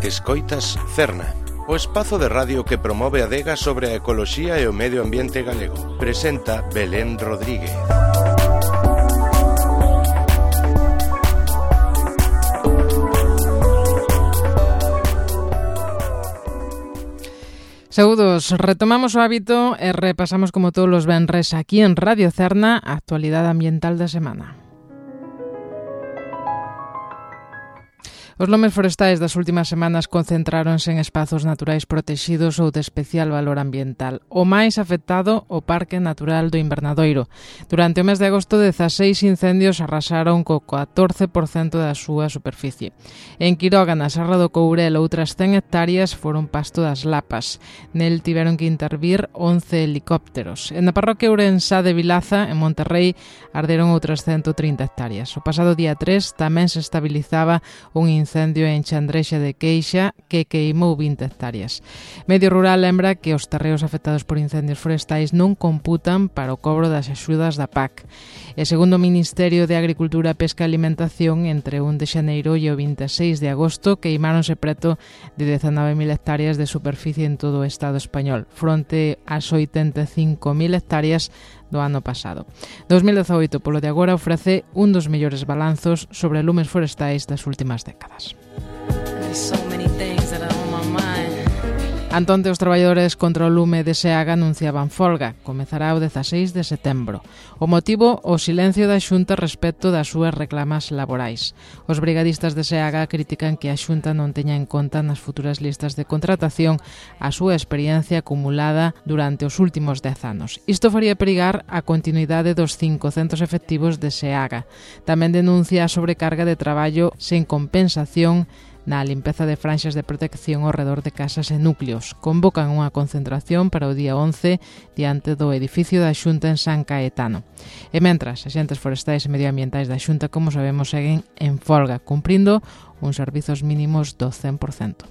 Escoitas Cerna, o espazo de radio que promove a adega sobre a ecoloxía e o medio ambiente galego. Presenta Belén Rodríguez. Saúdos, retomamos o hábito e repasamos como todos os venres aquí en Radio Cerna a actualidade ambiental da semana. Os lumes forestais das últimas semanas concentráronse en espazos naturais protexidos ou de especial valor ambiental. O máis afectado, o Parque Natural do Invernadoiro. Durante o mes de agosto, 16 incendios arrasaron co 14% da súa superficie. En Quiroga, na Serra do Courel, outras 100 hectáreas foron pasto das lapas. Nel tiveron que intervir 11 helicópteros. En a parroquia Ourensá de Vilaza, en Monterrey, arderon outras 130 hectáreas. O pasado día 3 tamén se estabilizaba un incendio en Chandrexa de Queixa que queimou 20 hectáreas. Medio Rural lembra que os terreos afectados por incendios forestais non computan para o cobro das axudas da PAC. E segundo o Ministerio de Agricultura, Pesca e Alimentación, entre o 1 de xaneiro e o 26 de agosto queimáronse preto de 19.000 hectáreas de superficie en todo o Estado español, fronte ás 85.000 hectáreas do ano pasado. 2018, polo de agora, ofrece un dos mellores balanzos sobre lumes forestais das últimas décadas. Antonte, os traballadores contra o lume de Seaga anunciaban folga. Comezará o 16 de setembro. O motivo, o silencio da Xunta respecto das súas reclamas laborais. Os brigadistas de Seaga critican que a Xunta non teña en conta nas futuras listas de contratación a súa experiencia acumulada durante os últimos 10 anos. Isto faría perigar a continuidade dos 500 efectivos de Seaga. Tamén denuncia a sobrecarga de traballo sen compensación na limpeza de franxas de protección ao redor de casas e núcleos. Convocan unha concentración para o día 11 diante do edificio da Xunta en San Caetano. E mentras, axentes forestais e medioambientais da Xunta, como sabemos, seguen en folga, cumprindo uns servizos mínimos do 100%.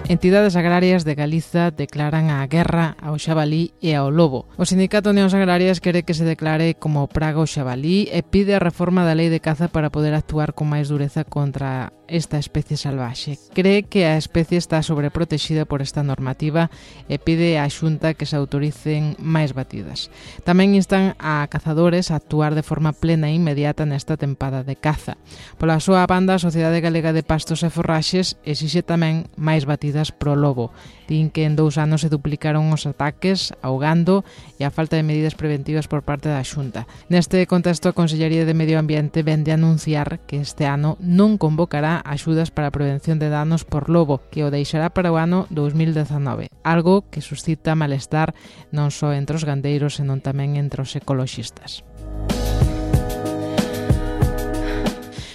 Entidades agrarias de Galiza declaran a guerra ao xabalí e ao lobo. O Sindicato Unións Agrarias quere que se declare como praga o xabalí e pide a reforma da lei de caza para poder actuar con máis dureza contra esta especie salvaxe. Cree que a especie está sobreprotexida por esta normativa e pide á Xunta que se autoricen máis batidas. Tamén instan a cazadores a actuar de forma plena e inmediata nesta tempada de caza. Pola súa banda, a Sociedade Galega de Pastos e Forraxes exixe tamén máis batidas pro lobo. Din que en 2 anos se duplicaron os ataques ao gando e a falta de medidas preventivas por parte da Xunta. Neste contexto, a Consellería de Medio Ambiente vende a anunciar que este ano non convocará axudas para a prevención de danos por lobo, que o deixará para o ano 2019, algo que suscita malestar non só entre os gandeiros, senón tamén entre os ecoloxistas.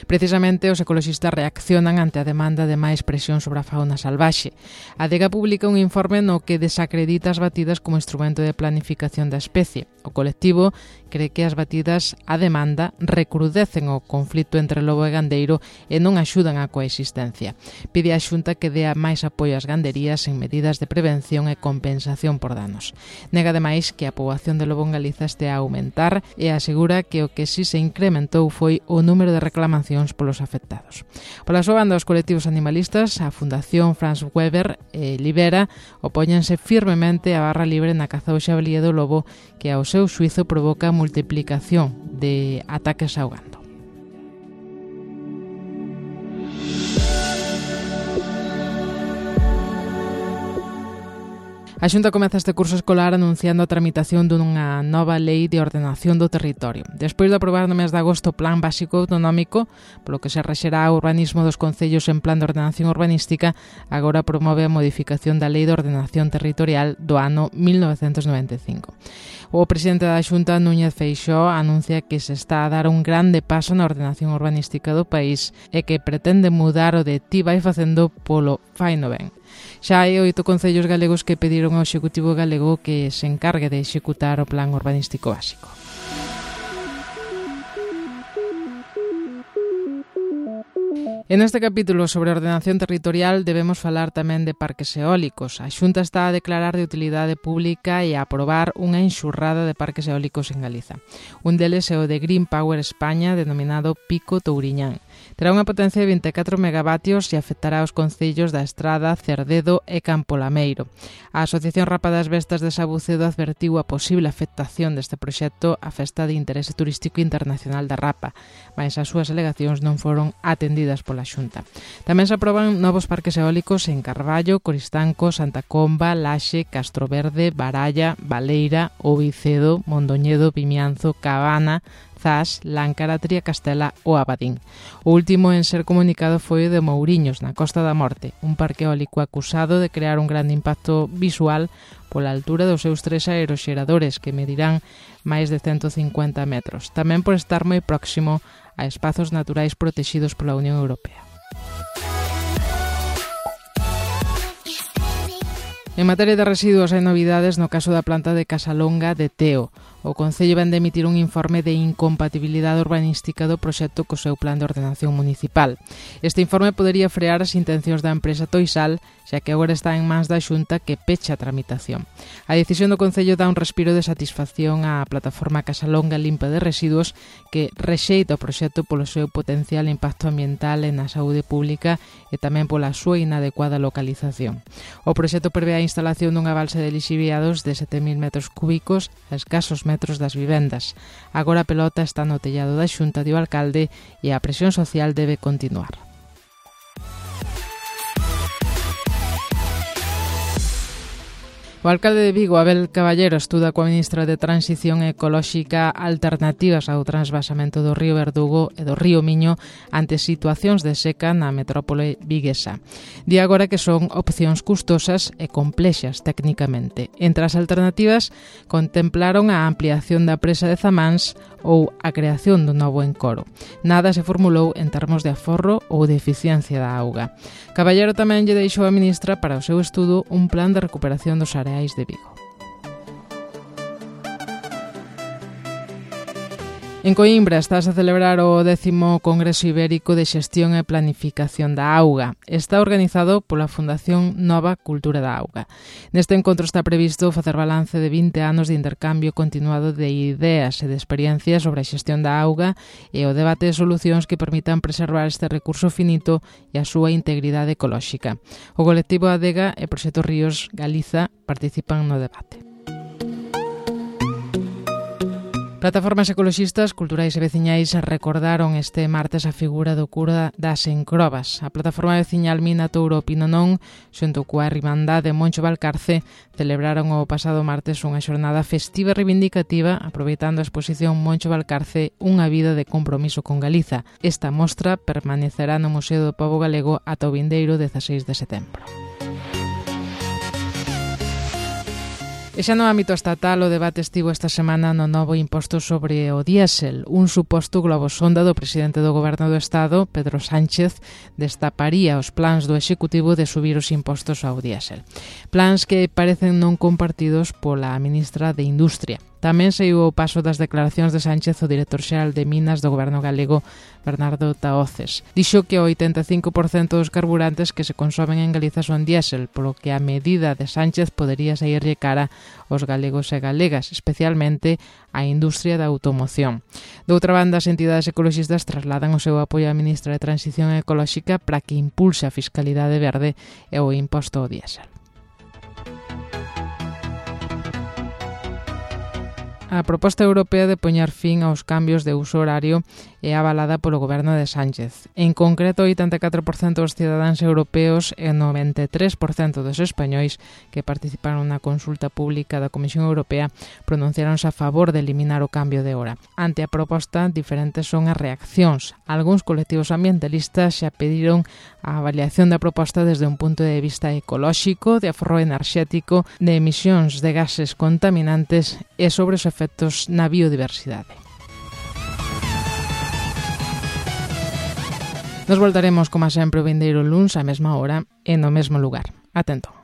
Precisamente, os ecoloxistas reaccionan ante a demanda de máis presión sobre a fauna salvaxe. A DEGA publica un informe no que desacredita as batidas como instrumento de planificación da especie. O colectivo cree que as batidas á demanda recrudecen o conflito entre lobo e gandeiro e non axudan á coexistencia. Pide á Xunta que dea máis apoio ás ganderías en medidas de prevención e compensación por danos. Nega ademais que a poboación de lobo en Galiza este a aumentar e asegura que o que si se incrementou foi o número de reclamacións polos afectados. Pola súa banda, os colectivos animalistas, a Fundación Franz Weber e Libera opóñense firmemente a barra libre na caza ao xabalí e do lobo, que ao seu xuizo provoca a multiplicación de ataques ao gando. A Xunta comeza este curso escolar anunciando a tramitación dunha nova lei de ordenación do territorio. Despois de aprobar no mes de agosto o Plan Básico Autonómico, polo que se rexerá o urbanismo dos concellos en plan de ordenación urbanística, agora promove a modificación da Lei de Ordenación Territorial do ano 1995. O presidente da Xunta, Núñez Feixóo, anuncia que se está a dar un grande paso na ordenación urbanística do país e que pretende mudar o de ti vai facendo polo faino ben. Xa hai 8 concellos galegos que pediron ao Executivo galego que se encargue de executar o Plan Urbanístico Básico. En este capítulo sobre ordenación territorial debemos falar tamén de parques eólicos. A Xunta está a declarar de utilidade pública e a aprobar unha enxurrada de parques eólicos en Galiza. Un deles é o de Green Power España, denominado Pico Touriñán. Terá unha potencia de 24 megavatios e afectará aos concellos da Estrada, Cerdedo e Campolameiro. A Asociación Rapa das Bestas de Sabucedo advertiu a posible afectación deste proxecto á Festa de Interese Turístico Internacional da Rapa, mas as súas alegacións non foron atendidas pola Xunta. Tamén se aproban novos parques eólicos en Carballo, Coristanco, Santa Comba, Laxe, Castroverde, Baralla, Baleira, Ovicedo, Mondoñedo, Vimianzo, Cabana, Zas, Láncara, Triacastela ou Abadín. O último en ser comunicado foi o de Mouriños, na Costa da Morte, un parque eólico acusado de crear un grande impacto visual pola altura dos seus 3 aeroxeradores, que medirán máis de 150 metros, tamén por estar moi próximo a espazos naturais protexidos pola Unión Europea. En materia de residuos hai novidades no caso da planta de Casalonga de Teo. O Concello ven de emitir un informe de incompatibilidade urbanística do proxecto co seu plan de ordenación municipal. Este informe podería frear as intencións da empresa Toisal, xa que agora está en mans da Xunta que pecha a tramitación. A decisión do Concello dá un respiro de satisfacción á plataforma Casalonga Limpa de Residuos, que rexeita o proxecto polo seu potencial impacto ambiental e na saúde pública e tamén pola súa inadecuada localización. O proxecto prevé a instalación dunha balsa de lixiviados de 7.000 metros cúbicos a escasos metros das vivendas. Agora a pelota está no tellado da Xunta e o alcalde e a presión social debe continuar. O alcalde de Vigo, Abel Caballero, estuda coa ministra de Transición Ecolóxica alternativas ao transvasamento do río Verdugo e do río Miño ante situacións de seca na metrópole viguesa. Di agora que son opcións custosas e complexas técnicamente. Entre as alternativas contemplaron a ampliación da presa de Zamáns ou a creación dun novo encoro. Nada se formulou en termos de aforro ou de eficiencia da auga. Caballero tamén lle deixou á ministra para o seu estudo un plan de recuperación dos areais de Vigo. En Coimbra estás a celebrar o 10º Congreso Ibérico de Xestión e Planificación da Auga. Está organizado pola Fundación Nova Cultura da Auga. Neste encontro está previsto facer balance de 20 anos de intercambio continuado de ideas e de experiencias sobre a xestión da auga e o debate de solucións que permitan preservar este recurso finito e a súa integridade ecolóxica. O colectivo Adega e Proxecto Ríos Galiza participan no debate. Plataformas ecoloxistas, culturais e veciñais recordaron este martes a figura do cura das Encrobas. A plataforma veciñal Mina Touro Pinonón, xunto coa Irmandade Moncho Valcarce, celebraron o pasado martes unha xornada festiva e reivindicativa aproveitando a exposición Moncho Valcarce, unha vida de compromiso con Galiza. Esta mostra permanecerá no Museo do Pobo Galego ata o vindeiro 16 de setembro. E xa no ámbito estatal, o debate estivo esta semana no novo imposto sobre o diésel. Un suposto globosonda do presidente do Goberno do Estado, Pedro Sánchez, destaparía os plans do Executivo de subir os impostos ao diésel. Plans que parecen non compartidos pola ministra de Industria. Tamén saiu o paso das declaracións de Sánchez o director xeral de Minas do Goberno galego, Bernardo Tahoces. Dixo que o 85% dos carburantes que se consomen en Galiza son diésel, polo que a medida de Sánchez podería saírlle cara aos galegos e galegas, especialmente á industria da automoción. Doutra banda, as entidades ecoloxistas trasladan o seu apoio á ministra de Transición Ecolóxica para que impulse a fiscalidade verde e o imposto ao diésel. A proposta europea de poñer fin aos cambios de uso horario é avalada polo goberno de Sánchez. En concreto, 84% dos cidadáns europeos e 93% dos españois que participaron na consulta pública da Comisión Europea pronunciaronse a favor de eliminar o cambio de hora. Ante a proposta, diferentes son as reaccións. Algúns colectivos ambientalistas xa pediron a avaliación da proposta desde un punto de vista ecolóxico, de aforro enerxético, de emisións de gases contaminantes e sobre os efectos na biodiversidade. Nos voltaremos, como sempre, o vindeiro luns á mesma hora e no mesmo lugar. Atento.